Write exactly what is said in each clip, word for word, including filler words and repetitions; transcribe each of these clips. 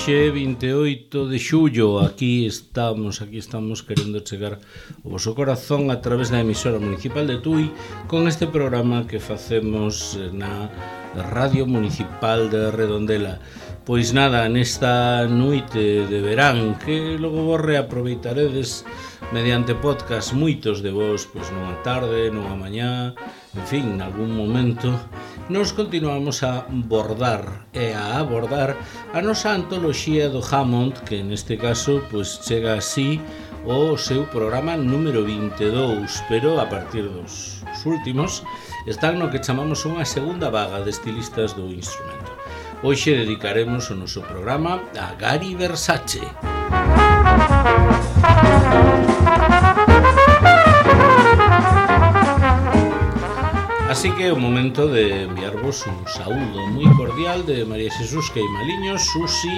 Hoxe vinte e oito de xullo, aquí estamos, aquí estamos querendo chegar ao voso corazón a través da emisora municipal de Tui con este programa que facemos na Radio Municipal de Redondela. Pois nada, nesta noite de verán que logo vos reaproveitaredes mediante podcast moitos de vos, pois nunha tarde, nunha mañá, en fin, en algún momento nos continuamos a bordar e a abordar a nosa antoloxía do Hammond, que neste caso pois chega así o seu programa número vinte e dous, pero a partir dos últimos están no que chamamos unha segunda vaga de estilistas do instrumento. Hoxe dedicaremos o noso programa a Gary Versace. Así que é o momento de enviarvos un saúdo moi cordial de María Xesús Queimaliños, Susi,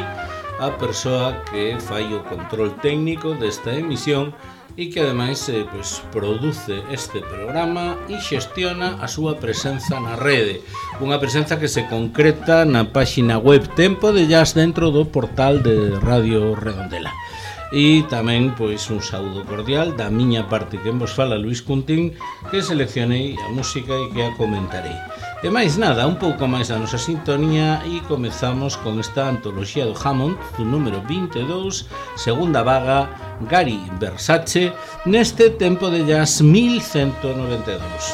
a persoa que fai o control técnico desta emisión e que ademais eh, pues, produce este programa e xestiona a súa presenza na rede. Unha presenza que se concreta na páxina web Tempo de Jazz dentro do portal de Radio Redondela. E tamén pois un saúdo cordial da miña parte que vos fala Luís Cuntín, que seleccionei a música e que a comentarei. E máis nada, un pouco máis da nosa sintonía e comezamos con esta antoloxía do Hammond, do número vinte e dous, segunda vaga, Gary Versace, neste Tempo de Jazz mil ciento noventa e dous.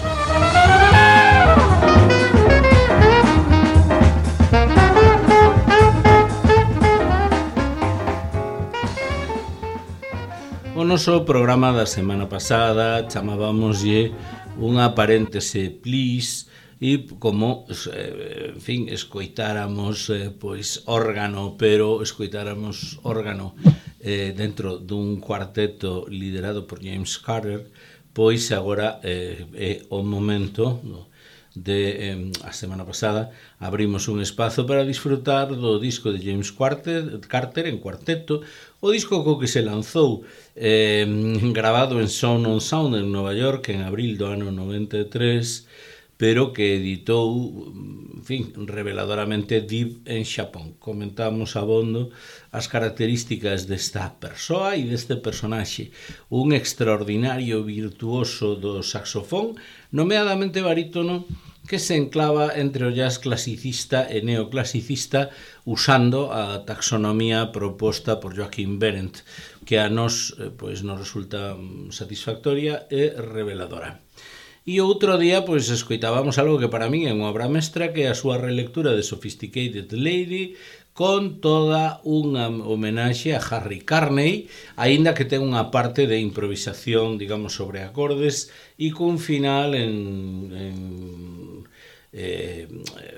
O noso programa da semana pasada chamábamoslle unha paréntese please e como, en fin, escoitáramos eh, pois órgano, pero escoitáramos órgano eh, dentro dun cuarteto liderado por James Carter, pois agora eh, é o momento no, de eh, a semana pasada abrimos un espazo para disfrutar do disco de James Carter, Carter en cuarteto, o disco co que se lanzou eh, grabado en Sound on Sound en Nova York en abril do ano noventa e tres, pero que editou, en fin, reveladoramente Deep en Xapón. Comentamos abondo as características desta persoa e deste personaxe, un extraordinario virtuoso do saxofón, nomeadamente barítono, que se enclava entre o jazz clasicista e neoclasicista usando a taxonomía proposta por Joachim Behrendt, que a nos pois, nos resulta satisfactoria e reveladora. E outro día pois escoitábamos algo que para min é unha obra mestra, que é a súa relectura de Sophisticated Lady, con toda unha homenaxe a Harry Carney, aínda que ten unha parte de improvisación, digamos, sobre acordes e cun final en, en eh,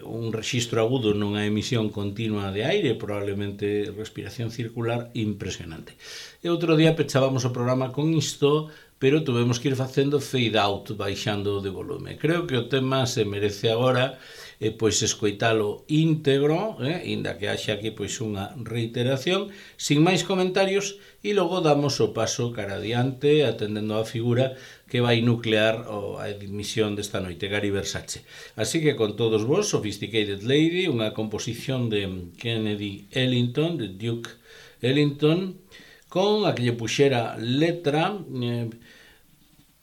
un rexistro agudo nunha emisión continua de aire, probablemente respiración circular, impresionante. E outro día pechábamos o programa con isto, pero tuvemos que ir facendo fade out, baixando de volume. Creo que o tema se merece agora eh, pois escoitalo íntegro, eh, inda que haxa aquí pois unha reiteración, sin máis comentarios, e logo damos o paso cara adiante, atendendo a figura que vai nuclear o, a emisión desta noite, Gary Versace. Así que con todos vos, Sophisticated Lady, unha composición de Kennedy Ellington, de Duke Ellington, con a que lle puxera letra, eh,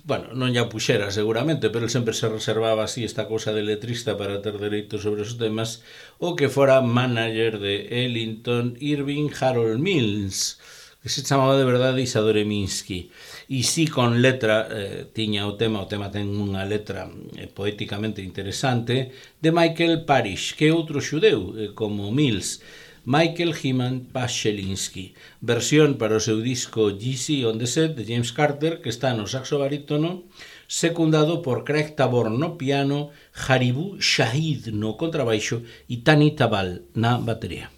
bueno, non lle puxera seguramente, pero sempre se reservaba así esta cousa de letrista para ter dereito sobre os temas, o que fora manager de Ellington, Irving Harold Mills, que se chamaba de verdade Isadore Minsky. E si con letra eh, tiña o tema, o tema ten unha letra eh, poéticamente interesante, de Michael Parrish, que é outro xudeu, eh, como Mills, Michael Hyman Pashelinsky, versión para o seu disco Yeezy on the Set de James Carter, que está no saxo barítono, secundado por Craig Taborn no piano, Haribu Shahid no contrabaixo e Tani Tabal na batería.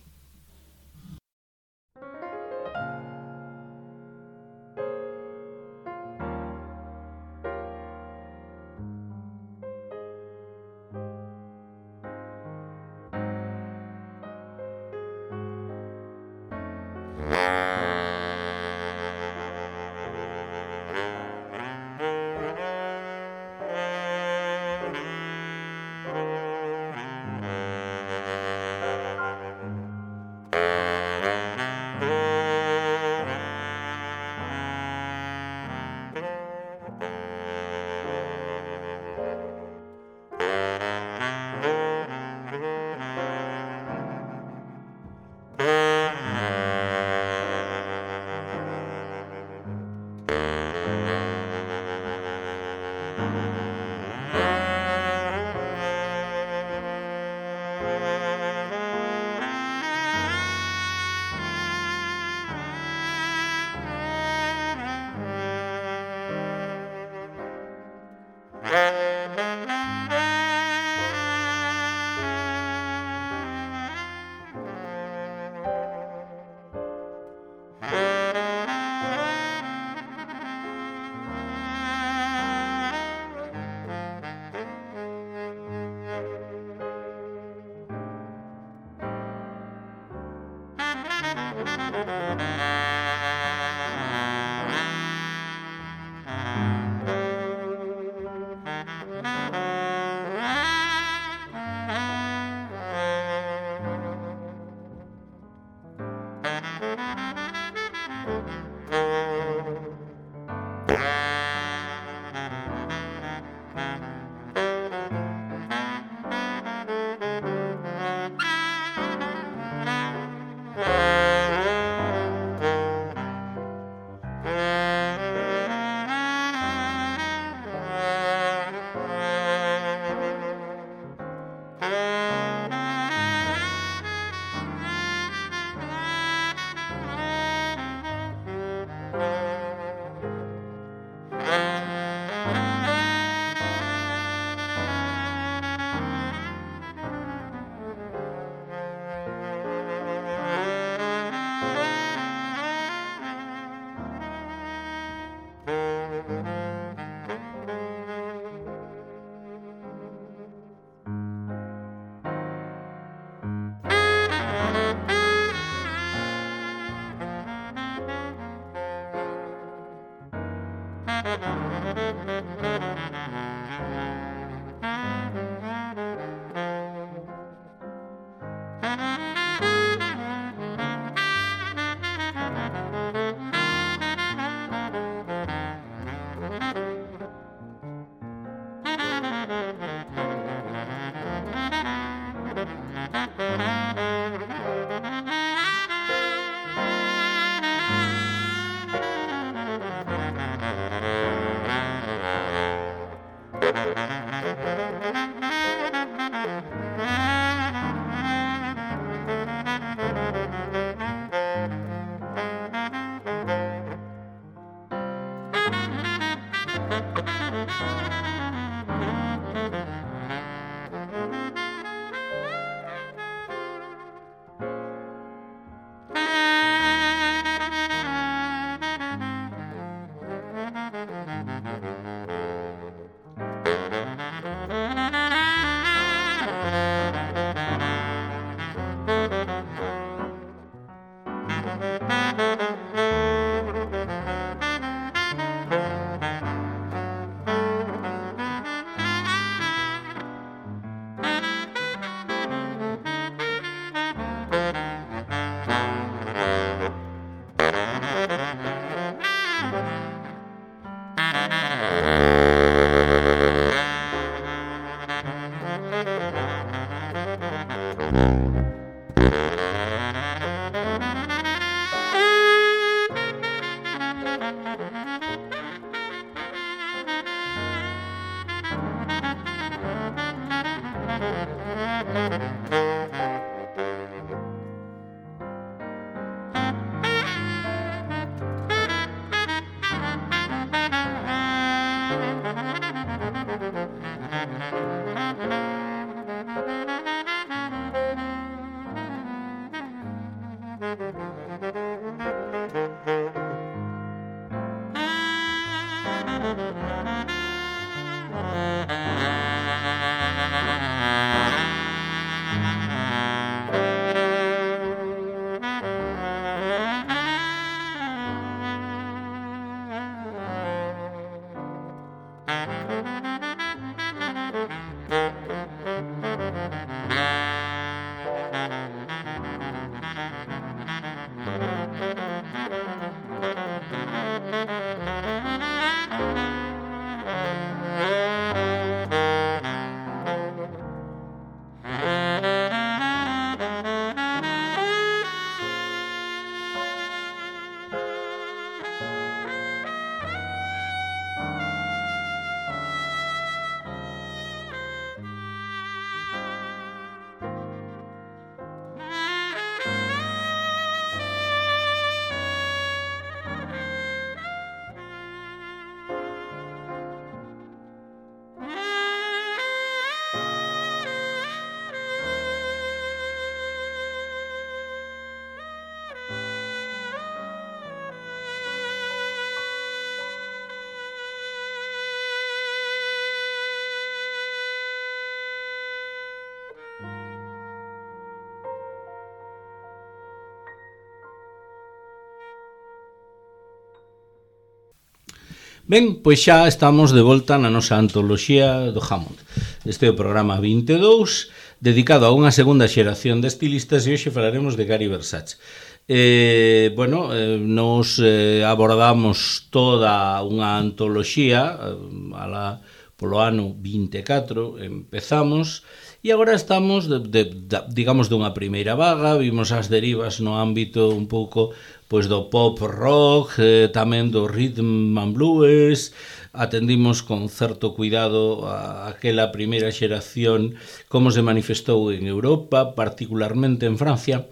Ben, pois xa estamos de volta na nosa antoloxía do Hammond. Este é o programa vinte e dous, dedicado a unha segunda xeración de estilistas, e hoxe falaremos de Gary Versace. Eh, bueno, eh, nos eh, abordamos toda unha antoloxía, eh, ala, polo ano vinte e catro, empezamos, e agora estamos, de, de, de, digamos, dunha primeira vaga, vimos as derivas no ámbito un pouco pois do pop rock, eh, tamén do rhythm and blues, atendimos con certo cuidado a aquela primeira xeración, como se manifestou en Europa, particularmente en Francia,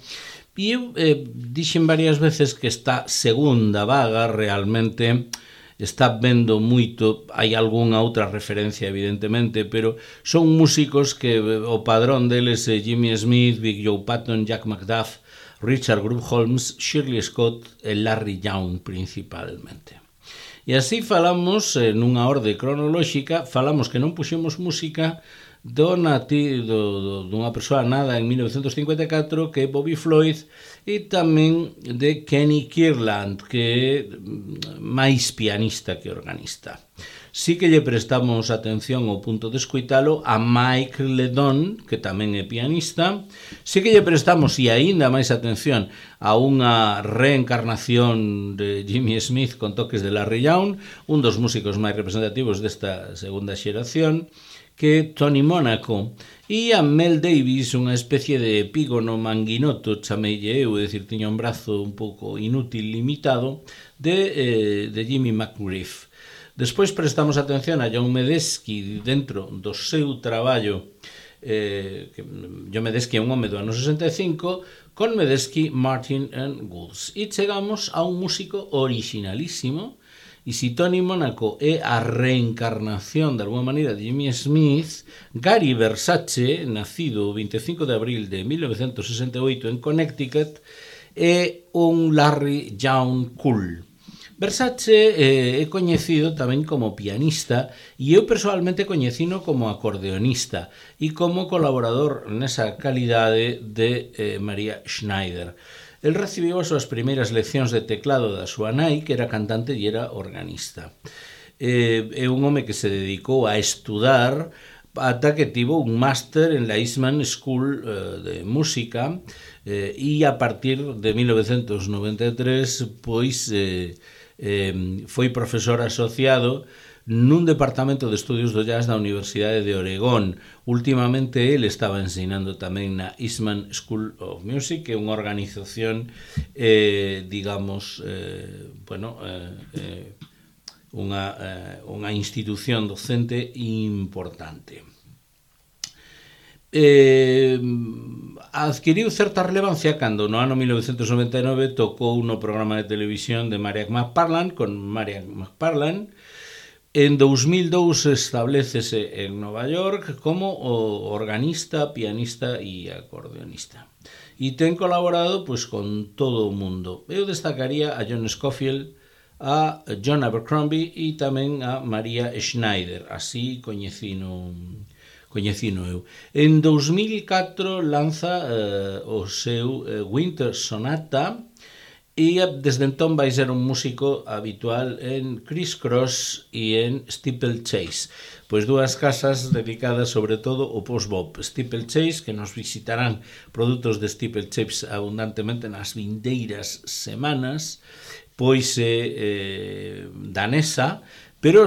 e eu eh, dixen varias veces que esta segunda vaga realmente está vendo moito, hai algunha outra referencia evidentemente, pero son músicos que o padrón deles é Jimmy Smith, Big Joe Patton, Jack McDuff, Richard Groove Holmes, Shirley Scott e Larry Young principalmente. E así falamos, eh, nunha orde cronolóxica, falamos que non puxemos música do nati, do, do, dunha persoa nada en mil novecentos cincuenta e catro, que é Bobby Floyd, e tamén de Kenny Kirland, que é máis pianista que organista. Sí que lle prestamos atención ao punto de escoitalo a Mike Ledon, que tamén é pianista. Sí que lle prestamos, e aínda máis atención, a unha reencarnación de Jimmy Smith con toques de Larry Young, un dos músicos máis representativos desta segunda xeración, que é Tony Monaco, e a Mel Davis, unha especie de epígono manguinoto, chameille eu, é dicir, tiña un brazo un pouco inútil, limitado, de, eh, de Jimmy McGriff. Despois prestamos atención a John Medeski dentro do seu traballo, eh, que John Medeski é un home do ano sesenta e cinco, con Medeski, Martin and Woods. E chegamos a un músico originalísimo, e si Tony Monaco é a reencarnación de alguma maneira de Jimmy Smith, Gary Versace, nacido o vinte e cinco de abril de mil novecentos sesenta e oito en Connecticut, é un Larry Young cool. Versace eh, é coñecido tamén como pianista, e eu personalmente coñecino como acordeonista e como colaborador nesa calidade de eh, Maria Schneider. El recibiu as súas primeiras leccións de teclado da súa nai, que era cantante e era organista. Eh, é un home que se dedicou a estudar ata que tivo un máster en la Eastman School eh, de Música, eh, e a partir de mil novecentos noventa e tres pois eh, eh, foi profesor asociado nun departamento de estudios do jazz da Universidade de Oregón. Últimamente ele estaba ensinando tamén na Eastman School of Music, que é unha organización, eh, digamos, eh, bueno, eh, eh, unha, eh, unha institución docente importante. Eh, adquiriu certa relevancia cando no ano mil novecentos noventa e nove tocou no programa de televisión de Marian McParland con Marian McParland. En dous mil dous establecese en Nova York como organista, pianista e acordeonista. E ten colaborado pois con todo o mundo. Eu destacaría a John Scofield, a John Abercrombie e tamén a Maria Schneider. Así coñecino coñecino eu. En dous mil catro lanza eh, o seu eh, Winter Sonata e desde entón vai ser un músico habitual en Criss Cross e en Steeplechase, pois dúas casas dedicadas sobre todo ao post-bop. Steeplechase, que nos visitarán produtos de Steeplechase abundantemente nas vindeiras semanas, pois é eh, danesa, pero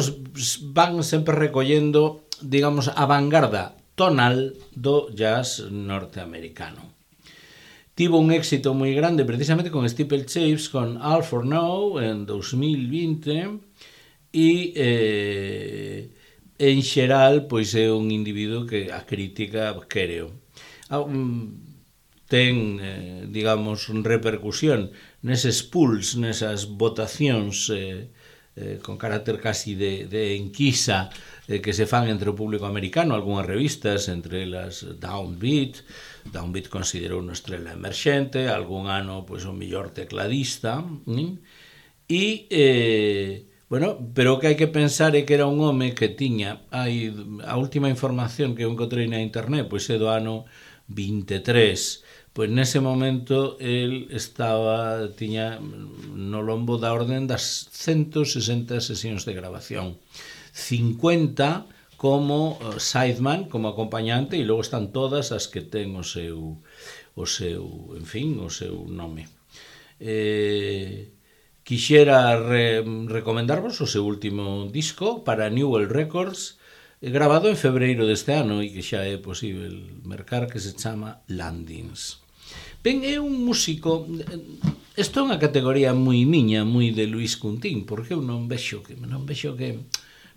van sempre recollendo, digamos, a vanguarda tonal do jazz norteamericano. Tivo un éxito moi grande precisamente con Steeplechase, con All for Now en dous mil vinte e eh, en xeral pois é un individuo que a crítica quereo. Ten, eh, digamos, repercusión neses pools, nesas votacións eh, eh, con carácter casi de, de enquisa eh, que se fan entre o público americano, algunhas revistas, entre elas Downbeat. Downbeat considerou unha estrela emerxente, algún ano pois o mellor tecladista, ¿sí? E, eh, bueno, pero o que hai que pensar é que era un home que tiña, hai, a última información que eu encontrei na internet, pois é do ano vinte e tres, pois nese momento el estaba, tiña no lombo da orden das ciento sesenta sesións de grabación, cincuenta como sideman, como acompañante, e logo están todas as que ten o seu, o seu, en fin, o seu nome. Eh, quixera re, recomendarvos o seu último disco para New World Records, grabado en febreiro deste ano e que xa é posible mercar, que se chama Landings. Ben, é un músico, isto é unha categoría moi miña, moi de Luis Cuntín, porque eu non vexo que, non vexo que...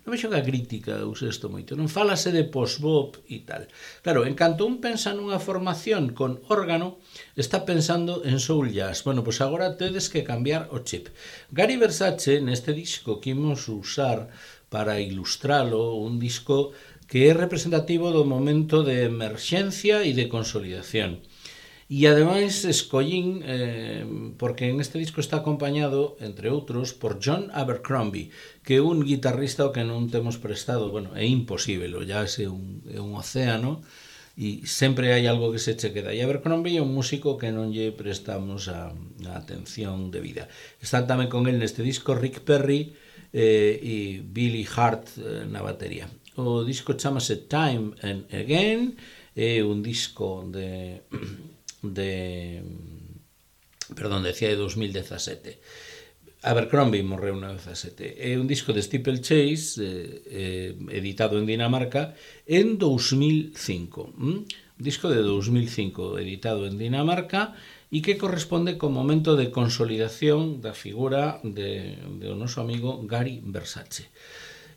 Non vexo que a crítica use isto moito, non falase de post-bop e tal. Claro, en canto un pensa nunha formación con órgano, está pensando en soul jazz. Bueno, pois agora tedes que cambiar o chip. Gary Versace, neste disco que imos usar para ilustralo, un disco que é representativo do momento de emerxencia e de consolidación. E ademais escollín, eh, porque en este disco está acompañado, entre outros, por John Abercrombie, que é un guitarrista ao que non temos prestado, bueno, é imposible, o jazz é un, é un océano, e sempre hai algo que se che queda. E Abercrombie é un músico que non lle prestamos a, a atención debida. Están tamén con el neste disco Rick Perry eh, e Billy Hart eh, na batería. O disco chamase Time and Again, é un disco de... de perdón, decía de dos mil dezasete. Abercrombie morreu no dezasete. É un disco de Steeplechase eh, eh, editado en Dinamarca en dous mil cinco. ¿Mm? Un disco de dous mil cinco editado en Dinamarca e que corresponde co momento de consolidación da figura de, de o noso amigo Gary Versace.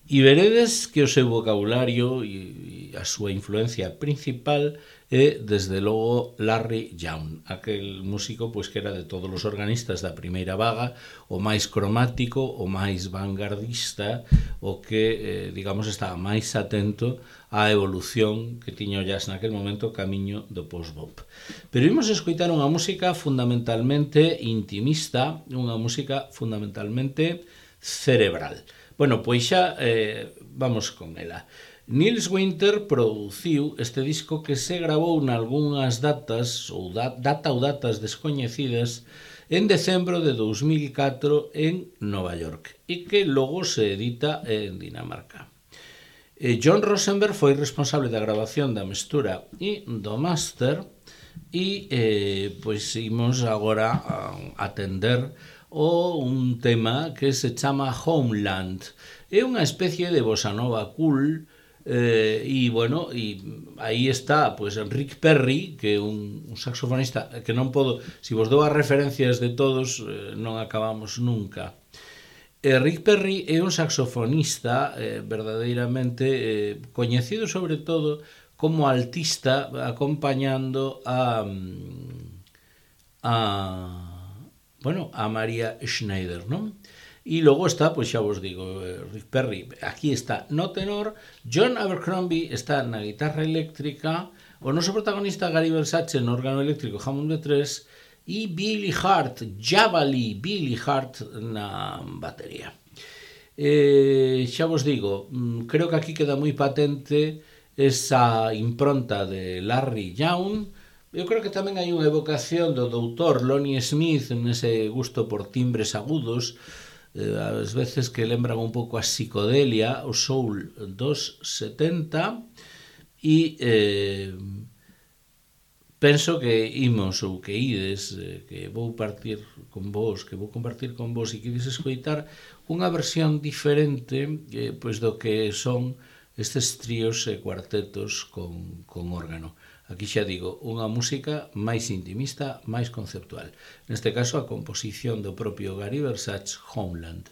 E veredes que o seu vocabulario e, e a súa influencia principal é, desde logo, Larry Young, aquel músico pois que era de todos os organistas da primeira vaga, o máis cromático, o máis vanguardista, o que, eh, digamos, estaba máis atento á evolución que tiña o jazz naquel momento camiño do post-bop. Pero imos escoitar unha música fundamentalmente intimista, unha música fundamentalmente cerebral. Bueno, pois xa eh, vamos con ela. Nils Winter produciu este disco que se gravou nalgúnas datas ou da, data ou datas descoñecidas en decembro de dous mil catro en Nova York e que logo se edita en Dinamarca. Eh, John Rosenberg foi responsable da grabación da mestura e do máster e eh, pois imos agora a atender o un tema que se chama Homeland. É unha especie de bossa nova cool, eh, e, bueno, e aí está, pois, Rick Perry, que é un, un saxofonista que non podo, se vos dou as referencias de todos, eh, non acabamos nunca. Eh, Rick Perry é un saxofonista eh, verdadeiramente eh, coñecido sobre todo como altista acompañando a a bueno, a Maria Schneider, non? E logo está, pois xa vos digo, Rick Perry, aquí está no tenor, John Abercrombie está na guitarra eléctrica, o noso protagonista Gary Versace no órgano eléctrico Hammond B tres e Billy Hart, Javali, Billy Hart na batería. Eh, xa vos digo, creo que aquí queda moi patente esa impronta de Larry Young. Eu creo que tamén hai unha evocación do doutor Lonnie Smith nese gusto por timbres agudos, eh, ás veces que lembran un pouco a psicodelia, o soul dos setenta, e eh, penso que imos ou que ides, eh, que vou partir con vos, que vou compartir con vos e que ides escoitar unha versión diferente eh, pois do que son estes tríos e cuartetos con, con órgano. Aquí xa digo, unha música máis intimista, máis conceptual. Neste caso, a composición do propio Gary Versace, Homeland.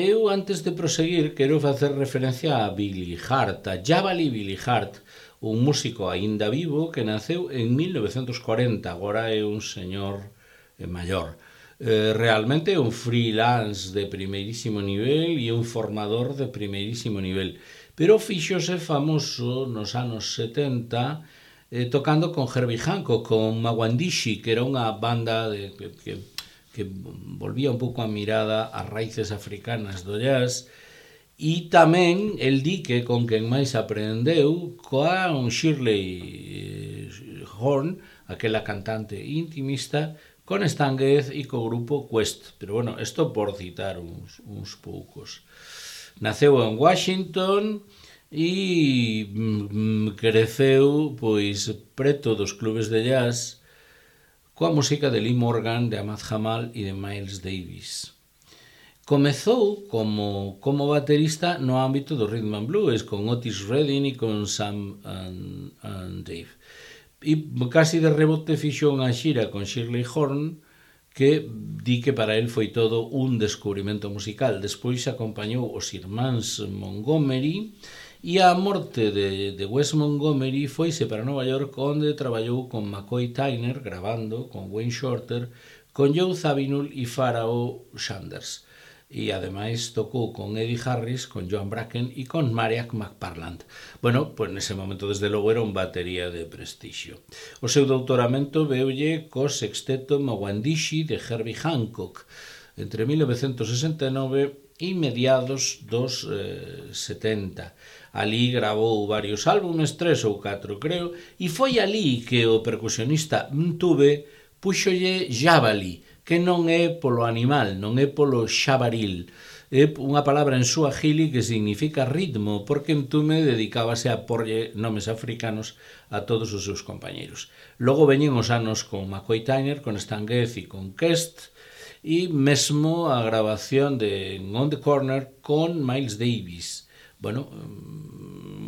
eu antes de proseguir quero facer referencia a Billy Hart, a Jabali Billy Hart, un músico aínda vivo que naceu en mil novecentos cuarenta, agora é un señor maior. Eh, realmente é un freelance de primeirísimo nivel e un formador de primeirísimo nivel, pero fíxose famoso nos anos setenta eh, tocando con Herbie Hancock, con Mawandishi, que era unha banda de, que, que que volvía un pouco a mirada ás raíces africanas do jazz, e tamén el di que con quen máis aprendeu coa un Shirley Horn, aquela cantante intimista, con Stan Getz e co grupo Quest. Pero bueno, isto por citar uns, uns poucos. Naceu en Washington e mm, creceu pois preto dos clubes de jazz coa música de Lee Morgan, de Ahmad Jamal e de Miles Davis. Comezou como, como baterista no ámbito do rhythm and blues, con Otis Redding e con Sam and, and Dave. E casi de rebote fixo unha xira con Shirley Horn, que di que para el foi todo un descubrimento musical. Despois acompañou os irmáns Montgomery, e a morte de, de Wes Montgomery foise para Nova York, onde traballou con McCoy Tyner, grabando con Wayne Shorter, con Joe Zawinul e Pharoah Sanders. E ademais tocou con Eddie Harris, con Joan Bracken e con Mariah McParland. Bueno, pois nese momento desde logo era un batería de prestixio. O seu doutoramento veulle co sexteto Mawandishi de Herbie Hancock entre mil novecentos sesenta e nove e mediados dos eh, setenta. Alí gravou varios álbumes, tres ou catro creo, e foi alí que o percusionista Mtube puxolle Jabali, que non é polo animal, non é polo xabaril, é unha palabra en suajili que significa ritmo, porque Mtume dedicábase a porlle nomes africanos a todos os seus compañeros. Logo veñen os anos con McCoy Tyner, con Stan Getz e con Quest, e mesmo a grabación de On the Corner con Miles Davis. Bueno,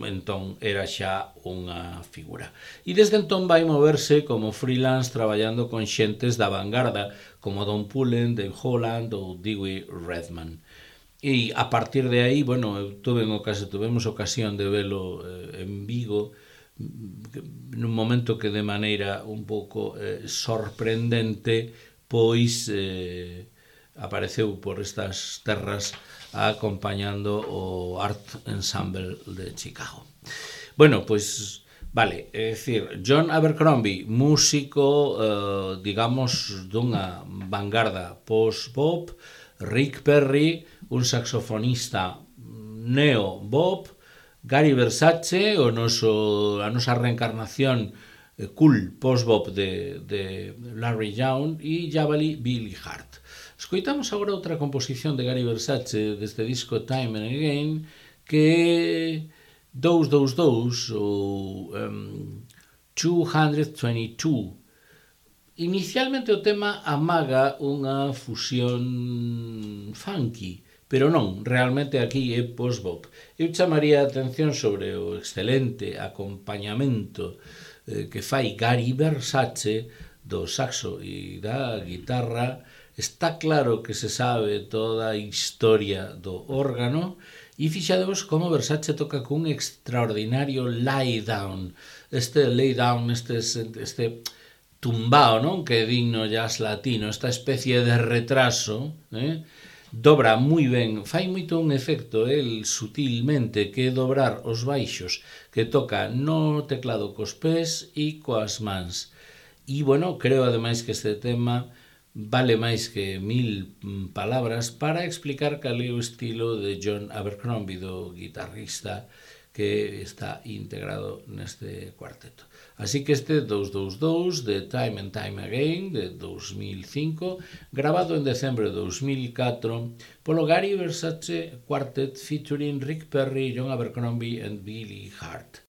entón era xa unha figura. E desde entón vai moverse como freelance traballando con xentes da vanguarda, como Don Pullen, Dave Holland ou Dewey Redman. E a partir de aí, bueno, eu tuve ocasión, tuvemos ocasión de velo eh, en Vigo, nun momento que de maneira un pouco eh, sorprendente, pois eh, apareceu por estas terras acompañando o Art Ensemble de Chicago. Bueno, pois, vale, é dicir, John Abercrombie, músico, eh, digamos, dunha vanguarda post-bop, Rick Perry, un saxofonista neo-bop, Gary Versace, o noso, a nosa reencarnación eh, cool post-bop de, de Larry Young, e Jabali Billy Hart. Escoitamos agora outra composición de Gary Versace deste disco Time and Again, que é dous dous dous ou um, doscientos vinte e dous. Inicialmente o tema amaga unha fusión funky, pero non, realmente aquí é post-bop. Eu chamaría a atención sobre o excelente acompañamento eh, que fai Gary Versace do saxo e da guitarra. Está claro que se sabe toda a historia do órgano e fixadevos como Versace toca cun extraordinario lay down. Este lay down, este, este tumbao, non? Que é digno jazz latino, esta especie de retraso, eh? Dobra moi ben, fai moito un efecto, el sutilmente, que é dobrar os baixos, que toca no teclado cos pés e coas mans. E, bueno, creo ademais que este tema vale máis que mil palabras para explicar cal é o estilo de John Abercrombie, do guitarrista que está integrado neste cuarteto. Así que este dous dous dous de Time and Time Again de dos mil cinco, grabado en decembro de dos mil catro polo Gary Versace Quartet featuring Rick Perry, John Abercrombie and Billy Hart.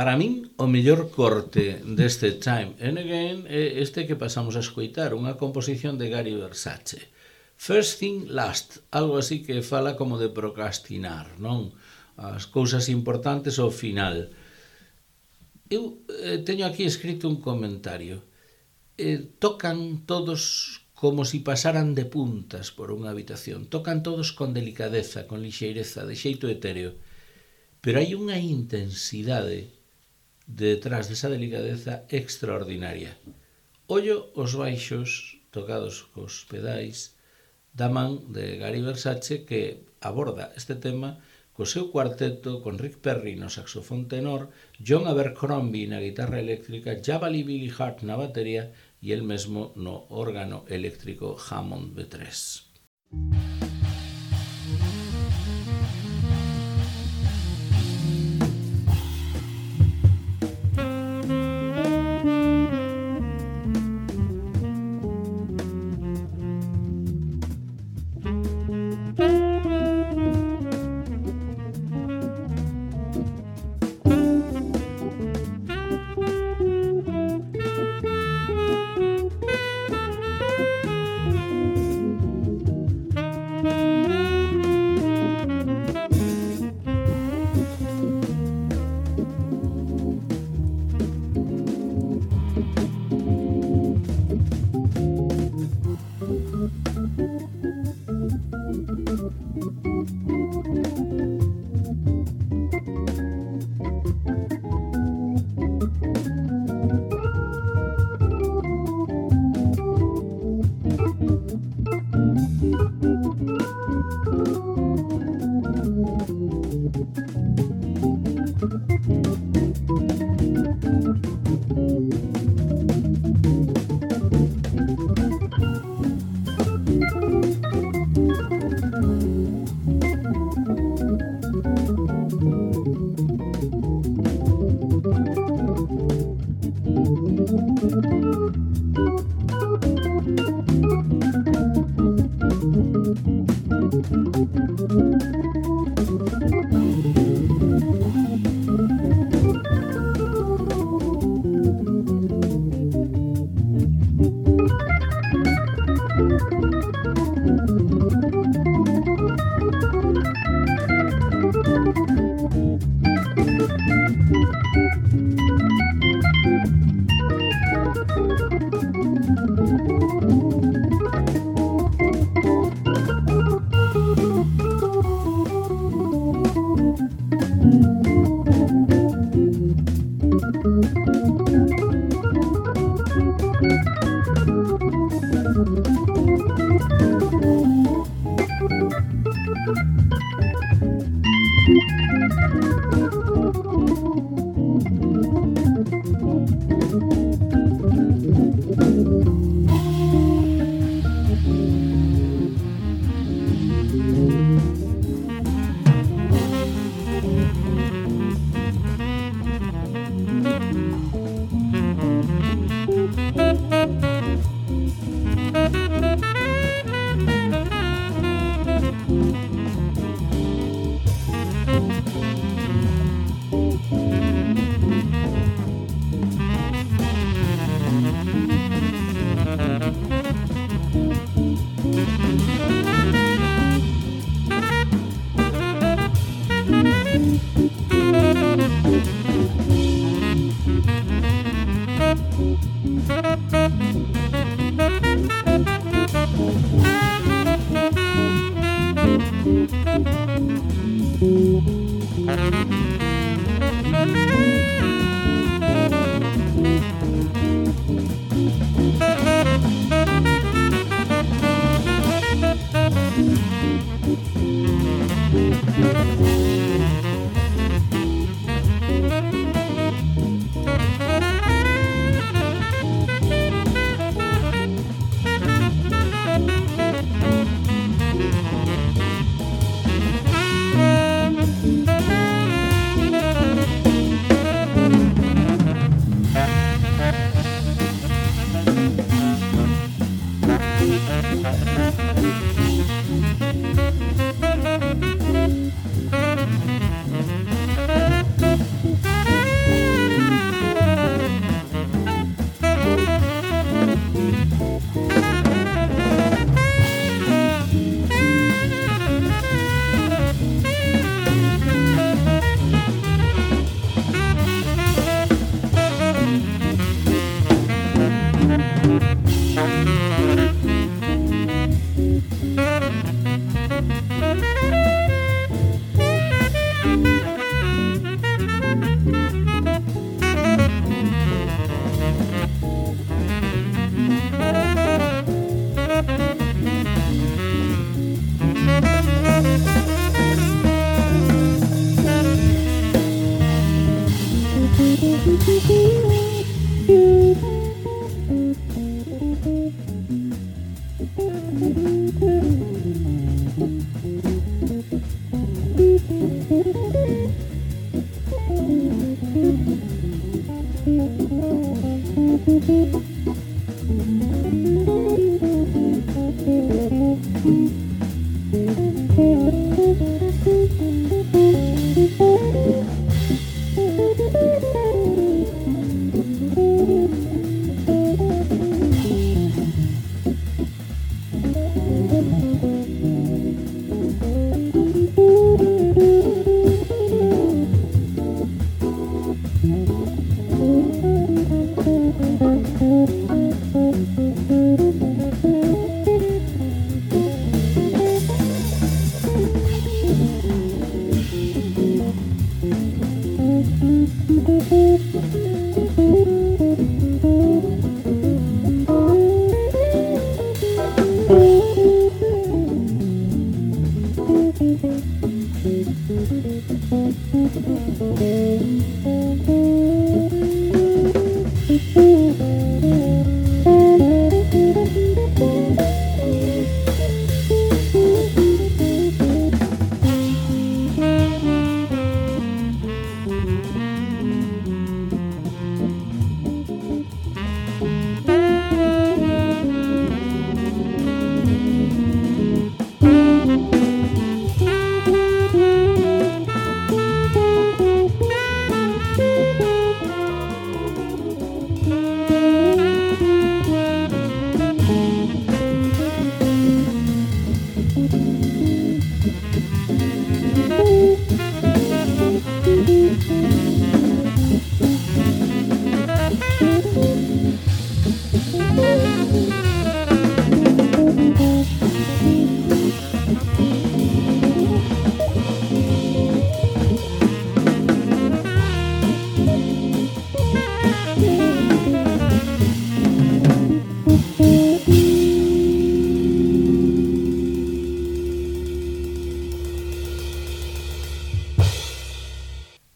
Para min, o mellor corte deste Time and Again é este que pasamos a escoitar, unha composición de Gary Versace. First Thing Last, algo así que fala como de procrastinar, non? As cousas importantes ao final. Eu eh, teño aquí escrito un comentario. Eh, tocan todos como si pasaran de puntas por unha habitación. Tocan todos con delicadeza, con lixeireza, de xeito etéreo. Pero hai unha intensidade detrás desa delicadeza extraordinaria. Ollo os baixos tocados cos pedais da man de Gary Versace, que aborda este tema co seu cuarteto con Rick Perry no saxofón tenor, John Abercrombie na guitarra eléctrica, Jabali Billy Hart na batería e el mesmo no órgano eléctrico Hammond B tres.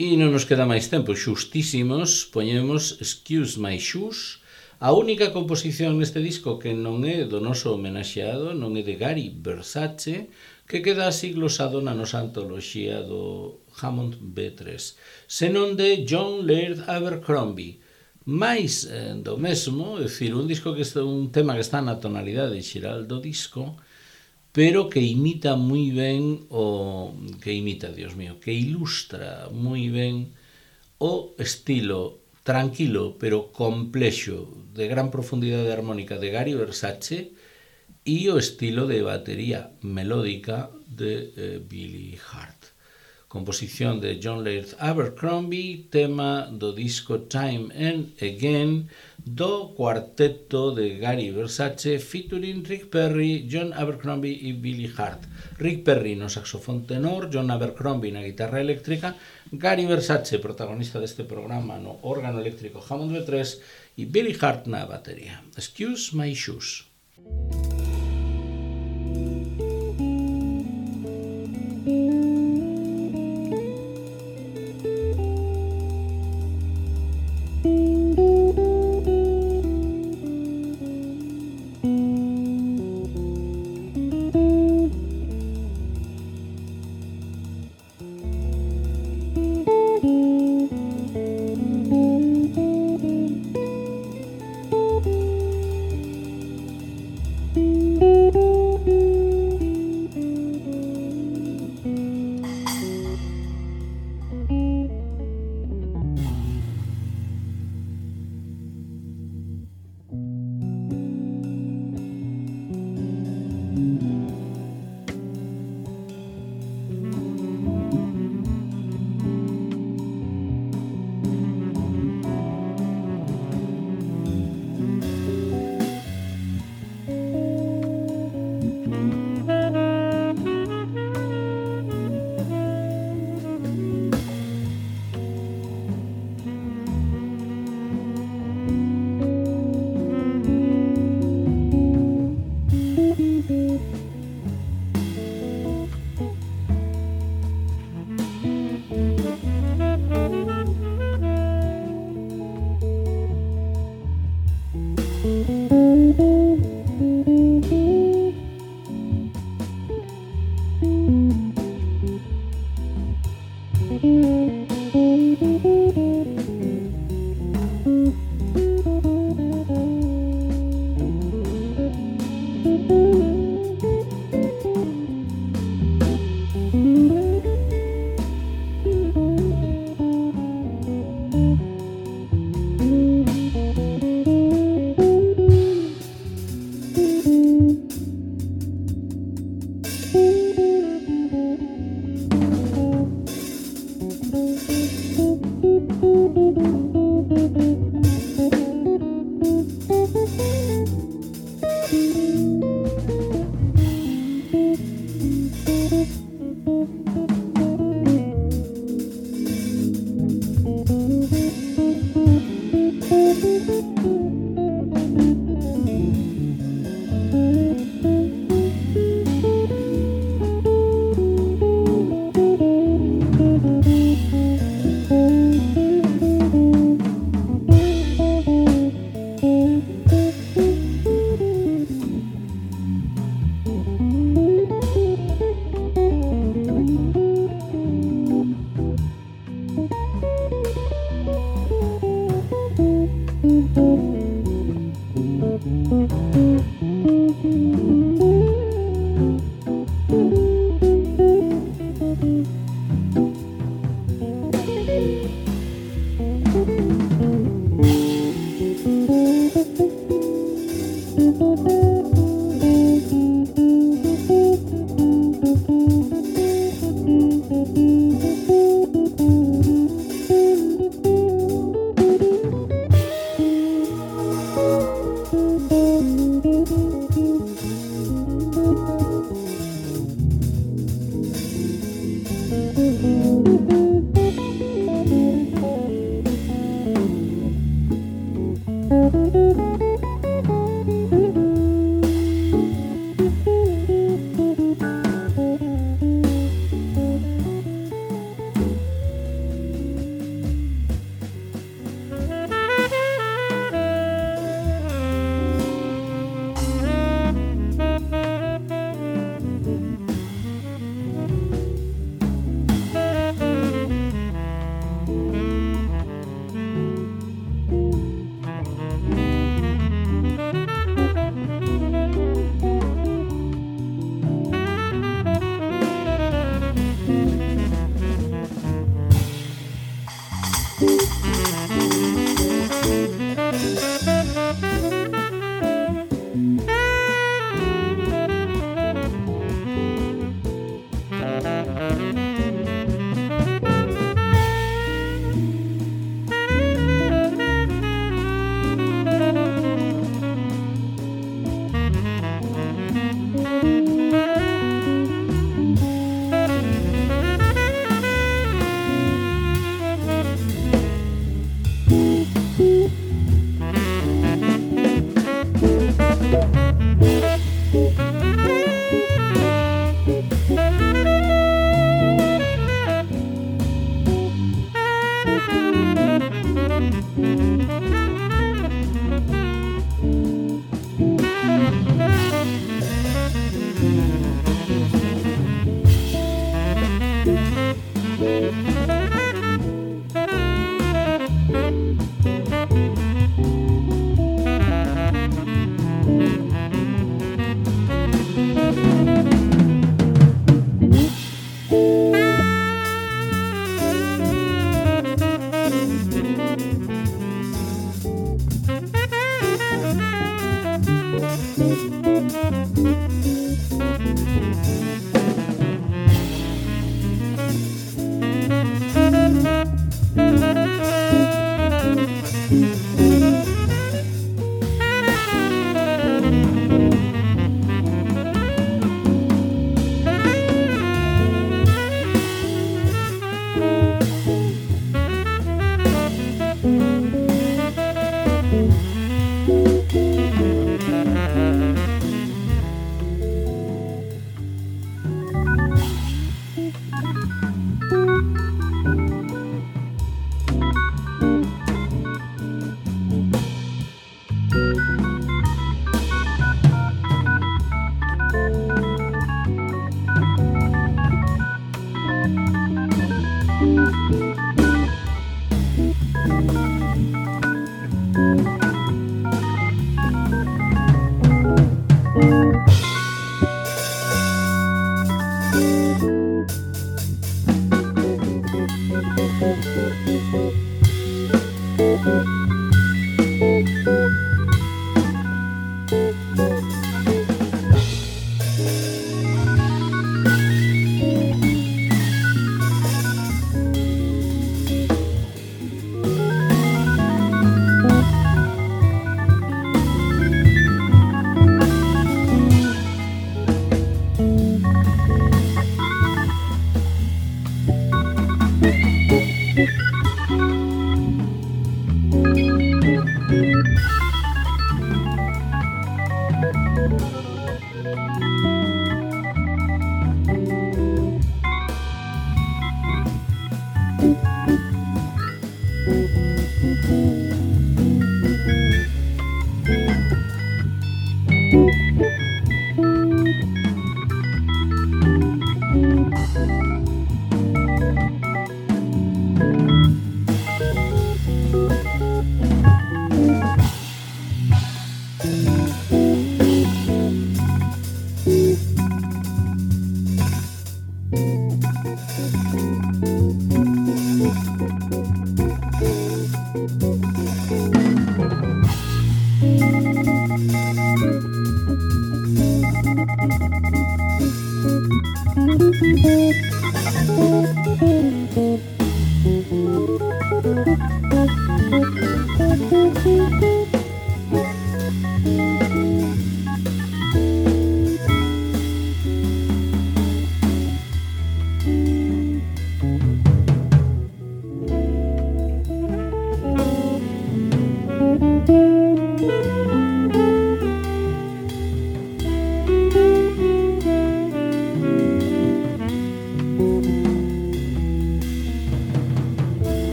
E non nos queda máis tempo, xustísimos, poñemos Excuse My Shoes, a única composición neste disco que non é do noso homenaxeado, non é de Gary Versace, que queda así glosado na nosa antoloxía do Hammond B tres, senón de John Laird Abercrombie. Mais eh, do mesmo, é dicir, un disco que está, un tema que está na tonalidade xeral do disco, pero que imita moi ben o que imita, Dios mío, que ilustra moi ben o estilo tranquilo pero complexo de gran profundidade armónica de Gary Versace e o estilo de batería melódica de eh, Billy Hart. Composición de John Laird Abercrombie, tema do disco Time and Again do cuarteto de Gary Versace featuring Rick Perry, John Abercrombie e Billy Hart. Rick Perry no saxofón tenor, John Abercrombie na guitarra eléctrica, Gary Versace, protagonista deste programa no órgano eléctrico Hammond B tres e Billy Hart na batería. Excuse My Shoes. Thank you.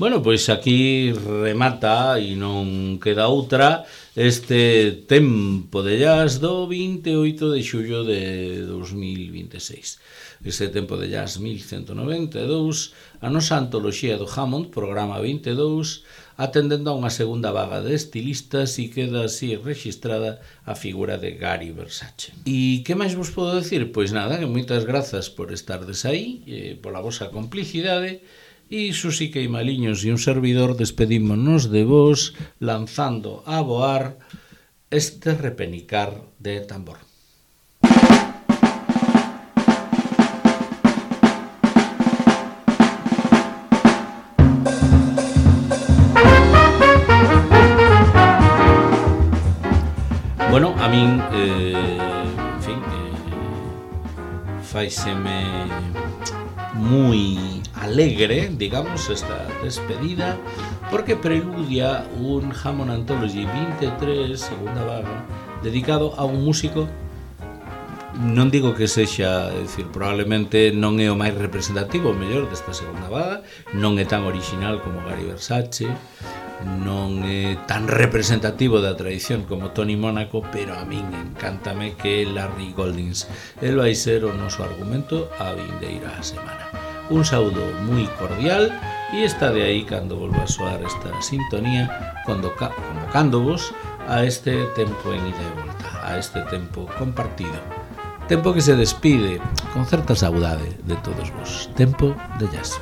Bueno, pois aquí remata e non queda outra este tempo de jazz do vinte e oito de xullo de dos mil vinte e seis. Este tempo de jazz mil cento noventa e dous, a nosa antoloxía do Hammond, programa vinte e dous, atendendo a unha segunda vaga de estilistas e queda así registrada a figura de Gary Versace. E que máis vos podo decir? Pois nada, que moitas grazas por estardes aí, eh, pola vosa complicidade. E Susi Queimaliños e un servidor despedímonos de vos lanzando a voar este repenicar de tambor. Bueno, a min, eh, en fin, eh, faiseme moi alegre, digamos, esta despedida, porque preludia un Hammond Anthology vinte e tres, segunda vaga, dedicado a un músico, non digo que sexa, é dicir, probablemente non é o máis representativo, o mellor desta segunda vaga, non é tan original como Gary Versace, non é tan representativo da tradición como Tony Mónaco, pero a min encántame que Larry Goldings. El vai ser o noso argumento a vindeira semana. Un saúdo moi cordial e está de aí cando volva a soar esta sintonía, convocándovos a este tempo en ida e volta, a este tempo compartido, tempo que se despide con certa saudade de todos vos, tempo de jazz.